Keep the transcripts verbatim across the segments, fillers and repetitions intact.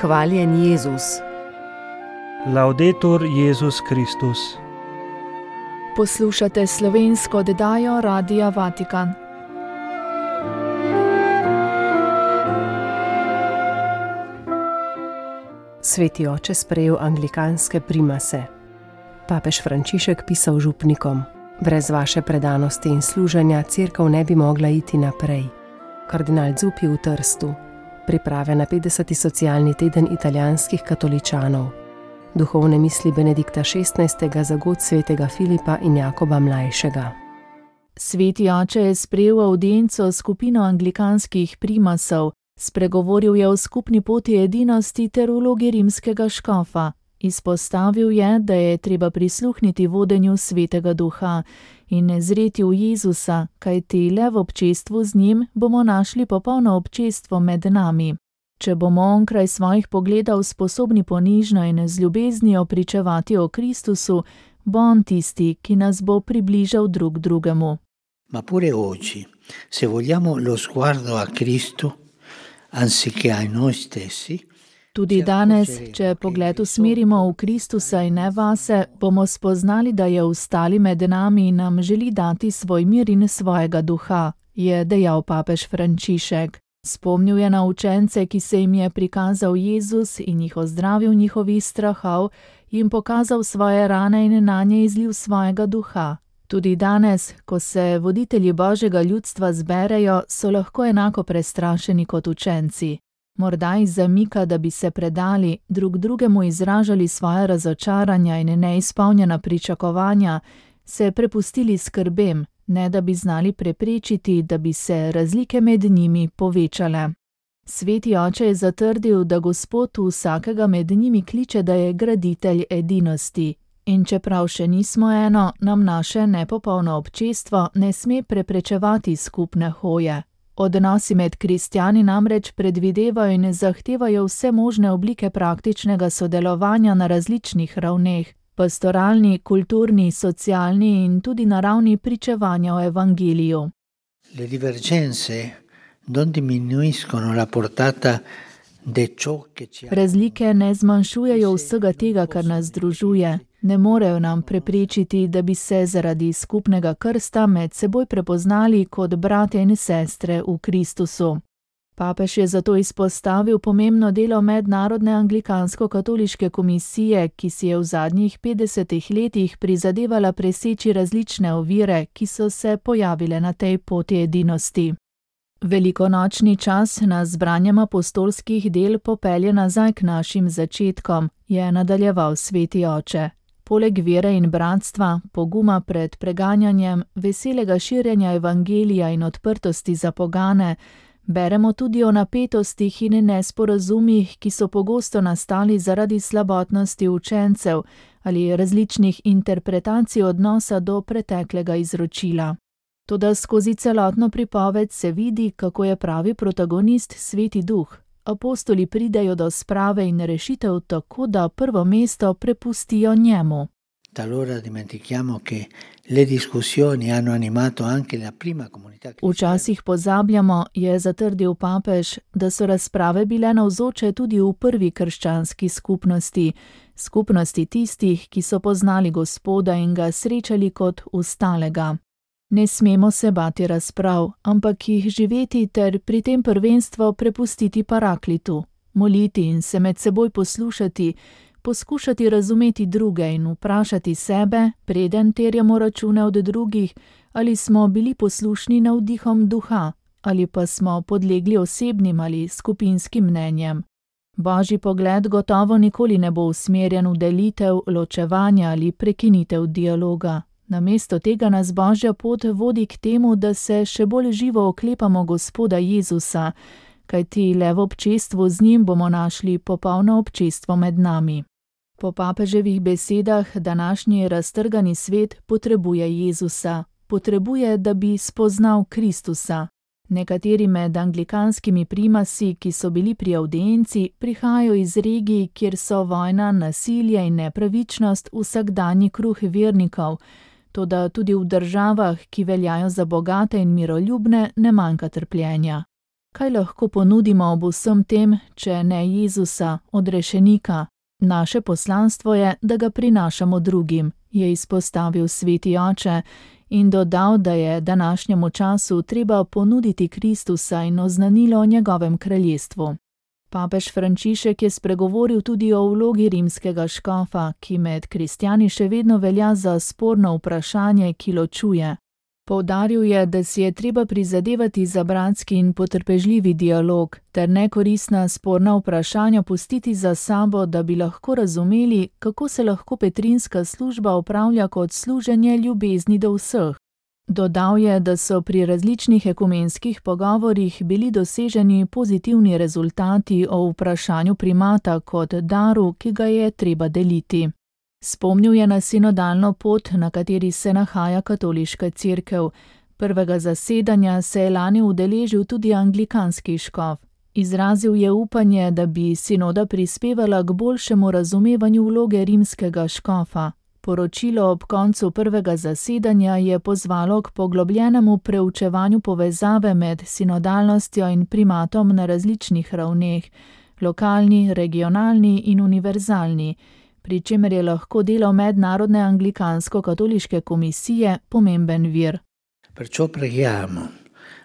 Hvaljen Jezus. Laudetur Jezus Kristus. Poslušate slovensko oddajo Radia Vatikan. Sveti oče sprejel anglikanske primase. Papež Frančišek pisal župnikom: brez vaše predanosti in služenja cerkev ne bi mogla iti naprej. Kardinal Zuppi v Trstu. Priprave na petdeseti socialni teden italijanskih katoličanov. Duhovne misli Benedikta šestnajstega za god svetega Filipa in Jakoba Mlajšega. Sveti oče je sprejel avdienco skupino anglikanskih primasov, spregovoril je o skupni poti edinosti ter vlogi rimskega škofa. Izpostavil je, da je treba prisluhniti vodenju Svetega Duha in ne zreti v Jezusa, kajti le v občestvu z njim bomo našli popolno občestvo med nami. Če bomo onkraj svojih pogledov sposobni ponižno in z ljubeznijo pričevati o Kristusu, bo on tisti, ki nas bo približal drug drugemu. Ma pure oggi, se vogliamo lo sguardo a Cristo, anziché a noi stessi, Tudi danes, če pogled usmerimo v Kristusa in ne vase, bomo spoznali, da je vstali med nami in nam želi dati svoj mir in svojega duha, je dejal papež Frančišek. Spomnil je na učence, ki se jim je prikazal Jezus in jih ozdravil njihovih strahov, jim pokazal svoje rane in nanje izlil svojega duha. Tudi danes, ko se voditelji Božjega ljudstva zberejo, so lahko enako prestrašeni kot učenci. Morda iz zamika, da bi se predali, drug drugemu izražali svoje razočaranja in neizpolnjena pričakovanja, se prepustili skrbem, ne da bi znali preprečiti, da bi se razlike med njimi povečale. Sveti oče je zatrdil, da Gospod vsakega med njimi kliče, da je graditelj edinosti. In čeprav še nismo eno, nam naše nepopolno občestvo ne sme preprečevati skupne hoje. Odnosi med kristjani namreč predvidevajo in zahtevajo vse možne oblike praktičnega sodelovanja na različnih ravneh, pastoralni, kulturni, socialni in tudi na ravni pričevanja o evangeliju. Le divergenze non diminuiscono la portata de ciò che ci ha... Razlike ne zmanjšujejo vsega tega, kar nas združuje. Ne morejo nam preprečiti, da bi se zaradi skupnega krsta med seboj prepoznali kot bratje in sestre v Kristusu. Papež je zato izpostavil pomembno delo Mednarodne anglikansko-katoliške komisije, ki si je v zadnjih petdesetih letih prizadevala preseči različne ovire, ki so se pojavile na tej poti edinosti. Velikonočni čas nas z branjem apostolskih del popelje nazaj k našim začetkom, je nadaljeval sveti oče. Poleg vere in bratstva, poguma pred preganjanjem, veselega širjenja evangelija in odprtosti za pogane, beremo tudi o napetostih in nesporazumih, ki so pogosto nastali zaradi slabotnosti učencev ali različnih interpretacij odnosa do preteklega izročila. Toda skozi celotno pripoved se vidi, kako je pravi protagonist Sveti Duh. Apostoli pridejo do sprave in rešitev tako, da prvo mesto prepustijo njemu. Talora dimentichiamo che le discussioni hanno animato anche la prima comunità cristiana. Včasih pozabljamo, je zatrdil papež, da so razprave bile navzoče tudi v prvi krščanski skupnosti, skupnosti tistih, ki so poznali Gospoda in ga srečali kot vstalega. Ne smemo se bati razprav, ampak jih živeti ter pri tem prvenstvo prepustiti paraklitu, moliti in se med seboj poslušati, poskušati razumeti druge in vprašati sebe, preden terjamo račune od drugih, ali smo bili poslušni navdihom duha, ali pa smo podlegli osebnim ali skupinskim mnenjem. Božji pogled gotovo nikoli ne bo usmerjen v delitev, ločevanje ali prekinitev dialoga. Namesto tega nas Božja pot vodi k temu, da se še bolj živo oklepamo Gospoda Jezusa, kajti le v občestvu z njim bomo našli popolno občestvo med nami. Po papeževih besedah današnji raztrgani svet potrebuje Jezusa, potrebuje, da bi spoznal Kristusa. Nekateri med anglikanskimi primasi, ki so bili pri avdienci, prihajajo iz regij, kjer so vojna, nasilje in nepravičnost vsakdanji kruh vernikov, toda tudi v državah, ki veljajo za bogate in miroljubne, ne manjka trpljenja. Kaj lahko ponudimo ob vsem tem, če ne Jezusa, odrešenika? Naše poslanstvo je, da ga prinašamo drugim, je izpostavil sveti oče in dodal, da je današnjemu času treba ponuditi Kristusa in oznanilo o njegovem kraljestvu. Papež Frančišek je spregovoril tudi o vlogi rimskega škofa, ki med kristjani še vedno velja za sporno vprašanje, ki ločuje. Poudaril je, da si je treba prizadevati za bratski in potrpežljivi dialog, ter nekoristna sporna vprašanja pustiti za sabo, da bi lahko razumeli, kako se lahko petrinska služba opravlja kot služenje ljubezni do vseh. Dodal je, da so pri različnih ekumenskih pogovorih bili doseženi pozitivni rezultati o vprašanju primata kot daru, ki ga je treba deliti. Spomnil je na sinodalno pot, na kateri se nahaja katoliška cerkev. Prvega zasedanja se je lani udeležil tudi anglikanski škof. Izrazil je upanje, da bi sinoda prispevala k boljšemu razumevanju vloge rimskega škofa. Poročilo ob koncu prvega zasedanja je pozvalo k poglobljenemu preučevanju povezave med sinodalnostjo in primatom na različnih ravneh, lokalni, regionalni in univerzalni, pri čemer je lahko delo Mednarodne anglikansko-katoliške komisije pomemben vir. Perciò preghiamo,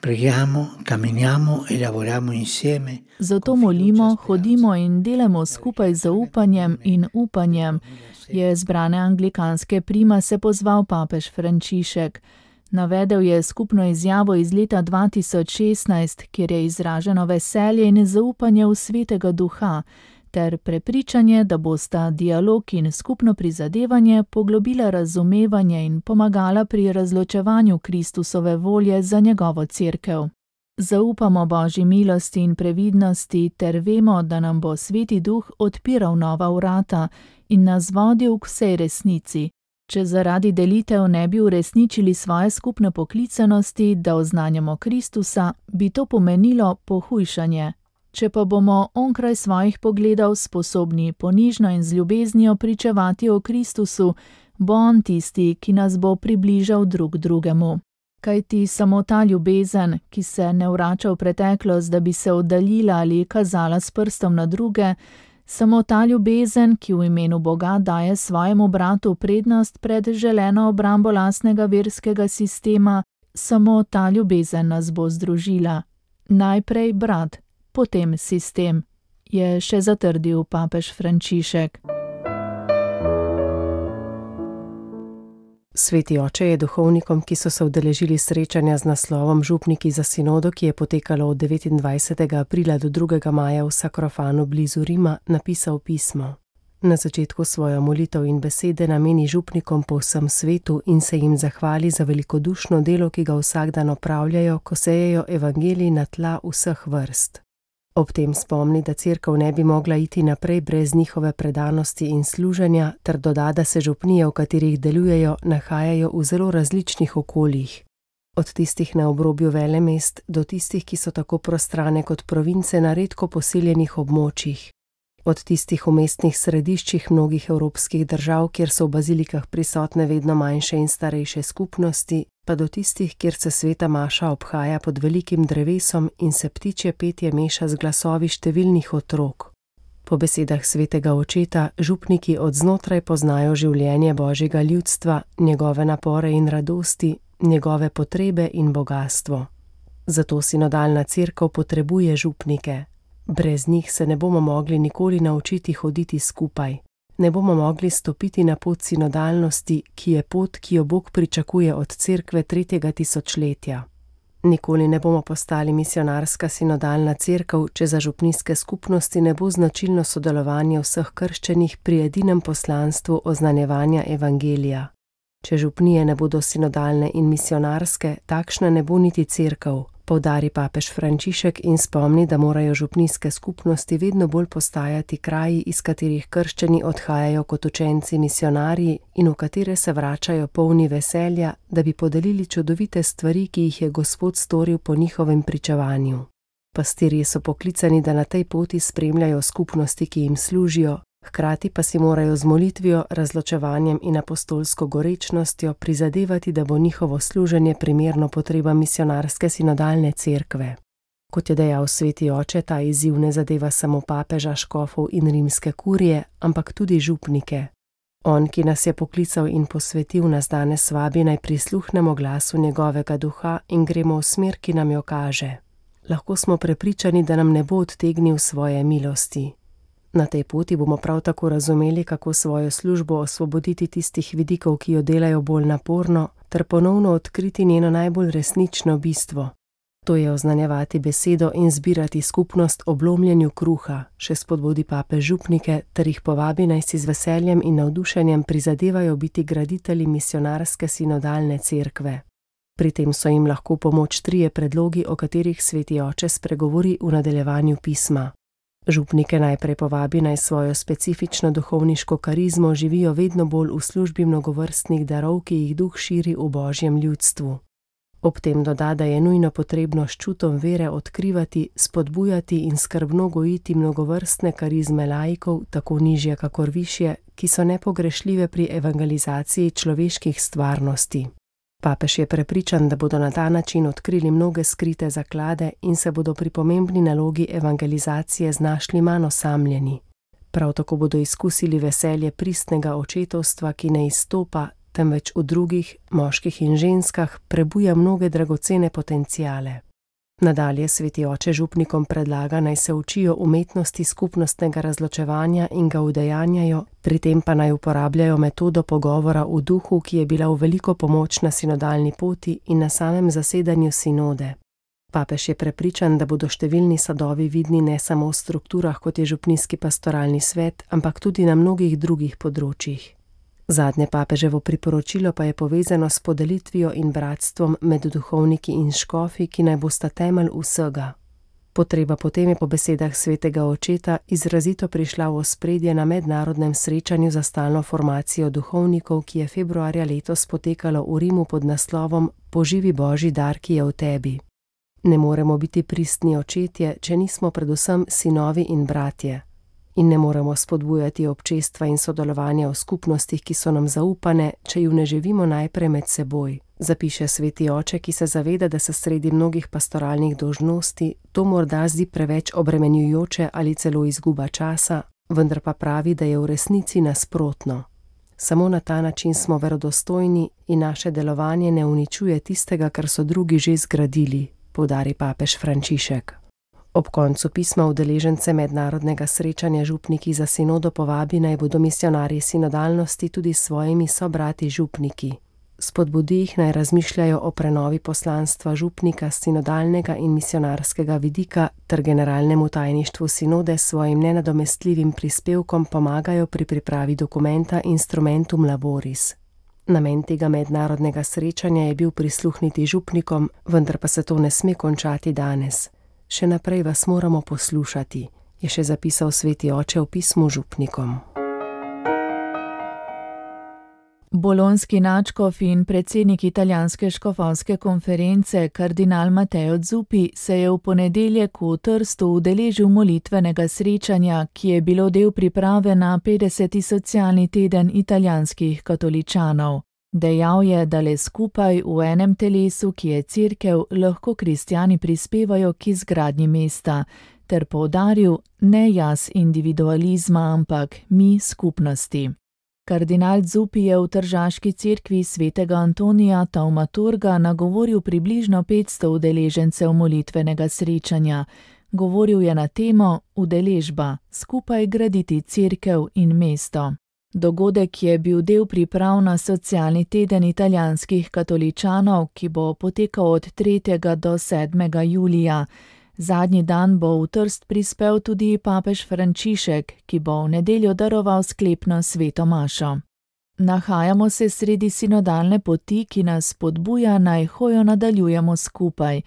preghiamo, camminiamo e lavoriamo insieme. Zato molimo, hodimo in delamo skupaj z zaupanjem in upanjem, je zbrane anglikanske primase pozval papež Frančišek. Navedel je skupno izjavo iz leta dva tisoč šestnajst, kjer je izraženo veselje in zaupanje v Svetega Duha, ter prepričanje, da bosta dialog in skupno prizadevanje poglobila razumevanje in pomagala pri razločevanju Kristusove volje za njegovo cerkev. Zaupamo Božji milosti in previdnosti ter vemo, da nam bo Sveti Duh odpiral nova vrata in nas vodil k vsej resnici. Če zaradi delitev ne bi uresničili svoje skupne poklicanosti, da oznanjamo Kristusa, bi to pomenilo pohujšanje. Če pa bomo onkraj svojih pogledov sposobni ponižno in z ljubeznijo pričevati o Kristusu, bo on tisti, ki nas bo približal drug drugemu. Kajti samo ta ljubezen, ki se ne vrača v preteklost, da bi se oddaljila ali kazala s prstom na druge, samo ta ljubezen, ki v imenu Boga daje svojemu bratu prednost pred želeno obrambo lastnega verskega sistema, samo ta ljubezen nas bo združila. Najprej brat, potem sistem, je še zatrdil papež Frančišek. Sveti oče je duhovnikom, ki so se udeležili srečanja z naslovom Župniki za sinodo, ki je potekalo od devetindvajsetega aprila do drugega maja v Sakrofanu blizu Rima, napisal pismo. Na začetku svojo molitev in besede nameni župnikom po vsem svetu in se jim zahvali za velikodušno delo, ki ga vsak dan opravljajo, ko sejejo evangelij na tla vseh vrst. Ob tem spomni, da cerkev ne bi mogla iti naprej brez njihove predanosti in služenja, ter doda, da se župnije, v katerih delujejo, nahajajo v zelo različnih okoljih. Od tistih na obrobju velemest do tistih, ki so tako prostrane kot province na redko poseljenih območjih. Od tistih v mestnih središčih mnogih evropskih držav, kjer so v bazilikah prisotne vedno manjše in starejše skupnosti, pa do tistih, kjer se sveta maša obhaja pod velikim drevesom in se ptičje petje meša z glasovi številnih otrok. Po besedah svetega očeta, župniki od znotraj poznajo življenje Božjega ljudstva, njegove napore in radosti, njegove potrebe in bogastvo. Zato sinodalna cerkev potrebuje župnike. Brez njih se ne bomo mogli nikoli naučiti hoditi skupaj. Ne bomo mogli stopiti na pot sinodalnosti, ki je pot, ki jo Bog pričakuje od cerkve tretjega tisočletja. Nikoli ne bomo postali misionarska sinodalna cerkev, če za župnijske skupnosti ne bo značilno sodelovanje vseh krščenih pri edinem poslanstvu oznanjevanja evangelija. Če župnije ne bodo sinodalne in misionarske, takšna ne bo niti cerkev, poudari papež Frančišek in spomni, da morajo župnijske skupnosti vedno bolj postajati kraji, iz katerih krščani odhajajo kot učenci misionarji in v katere se vračajo polni veselja, da bi podelili čudovite stvari, ki jih je Gospod storil po njihovem pričevanju. Pastirji so poklicani, da na tej poti spremljajo skupnosti, ki jim služijo, hkrati pa si morajo z molitvijo, razločevanjem in apostolsko gorečnostjo prizadevati, da bo njihovo služenje primerno potrebam misionarske sinodalne cerkve. Kot je dejal sveti oče, ta izziv ne zadeva samo papeža, škofov in rimske kurije, ampak tudi župnike. On, ki nas je poklical in posvetil, nas danes vabi, naj prisluhnemo glasu njegovega duha in gremo v smer, ki nam jo kaže. Lahko smo prepričani, da nam ne bo odtegnil svoje milosti. Na tej poti bomo prav tako razumeli, kako svojo službo osvoboditi tistih vidikov, ki jo delajo bolj naporno, ter ponovno odkriti njeno najbolj resnično bistvo. To je oznanjevati besedo in zbirati skupnost ob lomljenju kruha, še spodbudi papež župnike, ter jih povabi, naj si z veseljem in navdušenjem prizadevajo biti graditelji misionarske sinodalne cerkve. Pri tem so jim lahko pomoč trije predlogi, o katerih sveti oče spregovori v nadaljevanju pisma. Župnike najprej povabi, naj svojo specifično duhovniško karizmo živijo vedno bolj v službi mnogovrstnih darov, ki jih duh širi v božjem ljudstvu. Ob tem doda, da je nujno potrebno s čutom vere odkrivati, spodbujati in skrbno gojiti mnogovrstne karizme laikov, tako nižje kakor višje, ki so nepogrešljive pri evangelizaciji človeških stvarnosti. Papež je prepričan, da bodo na ta način odkrili mnoge skrite zaklade in se bodo pri pomembni nalogi evangelizacije znašli manj osamljeni. Prav tako bodo izkusili veselje pristnega očetovstva, ki ne izstopa, temveč v drugih, moških in ženskah, prebuja mnoge dragocene potenciale. Nadalje sveti oče župnikom predlaga, naj se učijo umetnosti skupnostnega razločevanja in ga udejanjajo, pri tem pa naj uporabljajo metodo pogovora v duhu, ki je bila v veliko pomoč na sinodalni poti in na samem zasedanju sinode. Papež je prepričan, da bodo številni sadovi vidni ne samo v strukturah, kot je župnijski pastoralni svet, ampak tudi na mnogih drugih področjih. Zadnje papeževo priporočilo pa je povezano s podelitvijo in bratstvom med duhovniki in škofi, ki naj bosta temelj vsega. Potreba potem je po besedah svetega očeta izrazito prišla v ospredje na mednarodnem srečanju za stalno formacijo duhovnikov, ki je februarja letos potekalo v Rimu pod naslovom Poživi Božji dar, ki je v tebi. Ne moremo biti pristni očetje, če nismo predvsem sinovi in bratje. In ne moremo spodbujati občestva in sodelovanja v skupnostih, ki so nam zaupane, če ju ne živimo najprej med seboj, zapiše sveti oče, ki se zaveda, da se sredi mnogih pastoralnih dolžnosti to morda zdi preveč obremenjujoče ali celo izguba časa, vendar pa pravi, da je v resnici nasprotno. Samo na ta način smo verodostojni in naše delovanje ne uničuje tistega, kar so drugi že zgradili, poudari papež Frančišek. Ob koncu pisma udeležence mednarodnega srečanja župniki za sinodo povabi, naj bodo misionarji sinodalnosti tudi s svojimi sobrati župniki. Spodbudi jih, naj razmišljajo o prenovi poslanstva župnika s sinodalnega in misionarskega vidika ter generalnemu tajništvu sinode s svojim nenadomestljivim prispevkom pomagajo pri pripravi dokumenta Instrumentum Laboris. Namen tega mednarodnega srečanja je bil prisluhniti župnikom, vendar pa se to ne sme končati danes. Še naprej vas moramo poslušati, je še zapisal sveti oče v pismu župnikom. Bolonski nadškof in predsednik italijanske škofovske konference kardinal Matteo Zuppi se je v ponedeljek v Trstu udeležil molitvenega srečanja, ki je bilo del priprave na petdeseti socialni teden italijanskih katoličanov. Dejal je, da le skupaj v enem telesu, ki je cerkev, lahko kristjani prispevajo k izgradnji mesta, ter poudaril, ne jaz individualizma, ampak mi skupnosti. Kardinal Zuppi je v tržaški cerkvi svetega Antonija Taumaturga nagovoril približno petsto udeležencev molitvenega srečanja. Govoril je na temo udeležba, skupaj graditi cerkev in mesto. Dogodek je bil del priprav na socialni teden italijanskih katoličanov, ki bo potekal od tretjega do sedmega julija. Zadnji dan bo v Trst prispel tudi papež Frančišek, ki bo v nedeljo daroval sklepno sveto mašo. Nahajamo se sredi sinodalne poti, ki nas spodbuja, naj hojo nadaljujemo skupaj,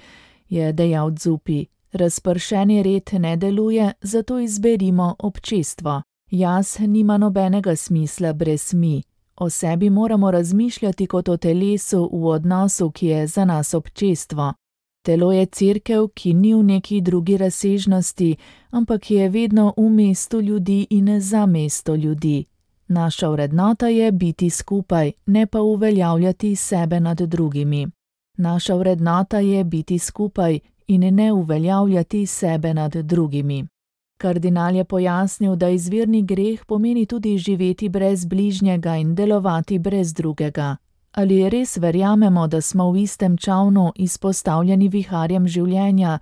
je dejal Zuppi. Razpršeni red ne deluje, zato izberimo občestvo. Jaz nima nobenega smisla brez mi. O sebi moramo razmišljati kot o telesu v odnosu, ki je za nas občestvo. Telo je cerkev, ki ni v neki drugi razsežnosti, ampak je vedno v mestu ljudi in za mesto ljudi. Naša vrednota je biti skupaj, ne pa uveljavljati sebe nad drugimi. Naša vrednota je biti skupaj in ne uveljavljati sebe nad drugimi. Kardinal je pojasnil, da izvirni greh pomeni tudi živeti brez bližnjega in delovati brez drugega. Ali res verjamemo, da smo v istem čavnu izpostavljeni viharjem življenja,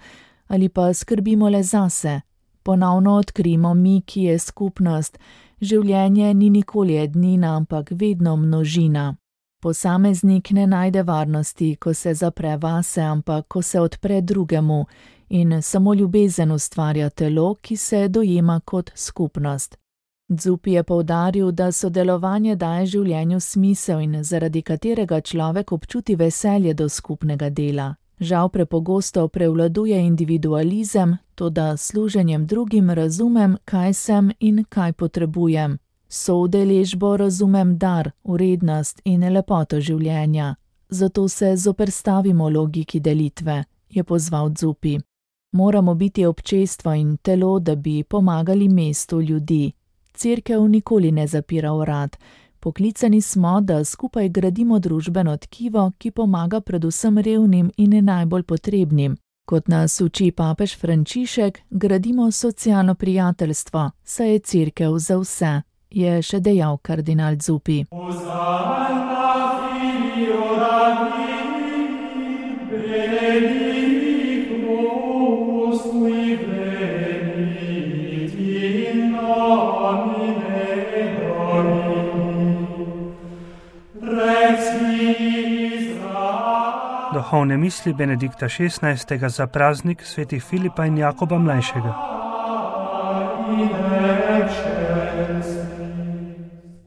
ali pa skrbimo le zase? Ponovno odkrimo mi, ki je skupnost. Življenje ni nikoli ednina, ampak vedno množina. Posameznik ne najde varnosti, ko se zapre vase, ampak ko se odpre drugemu, in samo ljubezen ustvarja telo, ki se dojema kot skupnost. Zupi je poudaril, da sodelovanje daje življenju smisel in zaradi katerega človek občuti veselje do skupnega dela. Žal prepogosto prevladuje individualizem, toda služenjem drugim razumem, kaj sem in kaj potrebujem. Soudeležbo razumem dar, vrednost in lepoto življenja. Zato se zoperstavimo logiki delitve, je pozval Zupi. Moramo biti občestvo in telo, da bi pomagali mestu ljudi. Cerkev nikoli ne zapira vrat. Poklicani smo, da skupaj gradimo družbeno tkivo, ki pomaga predvsem revnim in najbolj potrebnim. Kot nas uči papež Frančišek, gradimo socialno prijateljstvo, saj je cerkev za vse, je še dejal kardinal Zupi. Duhovne misli Benedikta šestnajstega za praznik svetih Filipa in Jakoba mlajšega.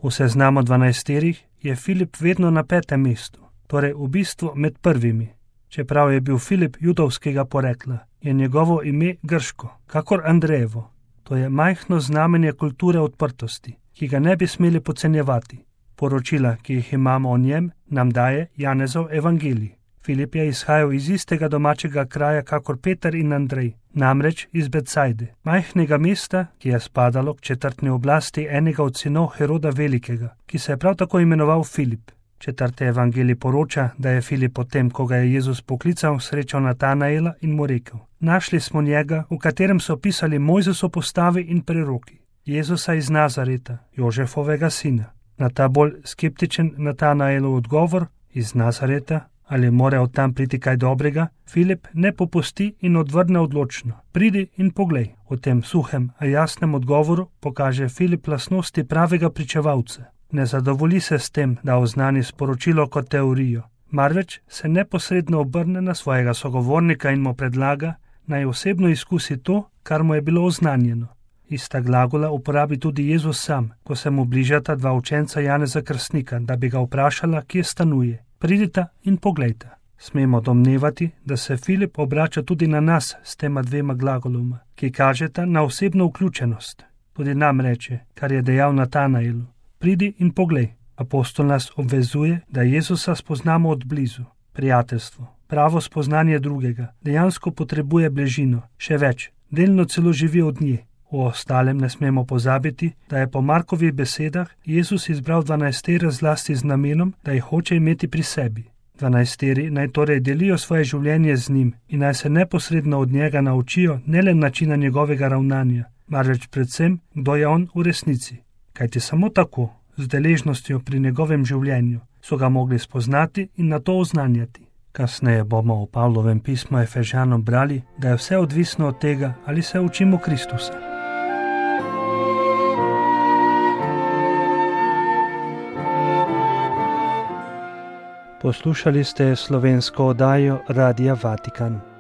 V seznamu dvanajsterih je Filip vedno na petem mestu, torej v bistvu med prvimi. Čeprav je bil Filip judovskega porekla, je njegovo ime grško, kakor Andrejevo. To je majhno znamenje kulture odprtosti, ki ga ne bi smeli podcenjevati. Poročila, ki jih imamo o njem, nam daje Janezov evangelij. Filip je izhajal iz istega domačega kraja kakor Peter in Andrej, namreč iz Betsajde, majhnega mesta, ki je spadalo k četrtni oblasti enega od sinov Heroda Velikega, ki se je prav tako imenoval Filip. Četrti evangelij poroča, da je Filip potem, ko ga je Jezus poklical, srečal Natanaela in mu rekel: Našli smo njega, v katerem so pisali Mojzesov postavi in preroki, Jezusa iz Nazareta, Jožefovega sina. Na ta bolj skeptičen Natanaelov odgovor: iz Nazareta? Ali mora od tam priti kaj dobrega? Filip ne popusti in odvrne odločno: Pridi in poglej. V tem suhem, a jasnem odgovoru pokaže Filip lastnosti pravega pričevalca. Ne zadovolji se s tem, da oznani sporočilo kot teorijo, marveč se neposredno obrne na svojega sogovornika in mu predlaga, naj osebno izkusi to, kar mu je bilo oznanjeno. Ista glagola uporabi tudi Jezus sam, ko se mu bližata dva učenca Janeza Krstnika, da bi ga vprašala, kje stanuje. Pridita in poglejta. Smemo domnevati, da se Filip obrača tudi na nas s tema dvema glagoloma, ki kažeta na osebno vključenost. Tudi nam reče, kar je dejal Natanaelu: Pridi in poglej. Apostol nas obvezuje, da Jezusa spoznamo od blizu. Prijateljstvo, pravo spoznanje drugega, dejansko potrebuje bližino, še več, delno celo živi od nje. V ostalem ne smemo pozabiti, da je po Markovih besedah Jezus izbral dvanajstere zlasti z namenom, da jih hoče imeti pri sebi. Dvanajsteri naj torej delijo svoje življenje z njim in naj se neposredno od njega naučijo ne le načina njegovega ravnanja, marveč predvsem, kdo je on v resnici. Kajti samo tako, z deležnostjo pri njegovem življenju, so ga mogli spoznati in na to oznanjati. Kasneje bomo v Pavlovem pismu Efežanom brali, da je vse odvisno od tega, ali se učimo Kristusa. Poslušali ste slovensko oddajo Radia Vatikan.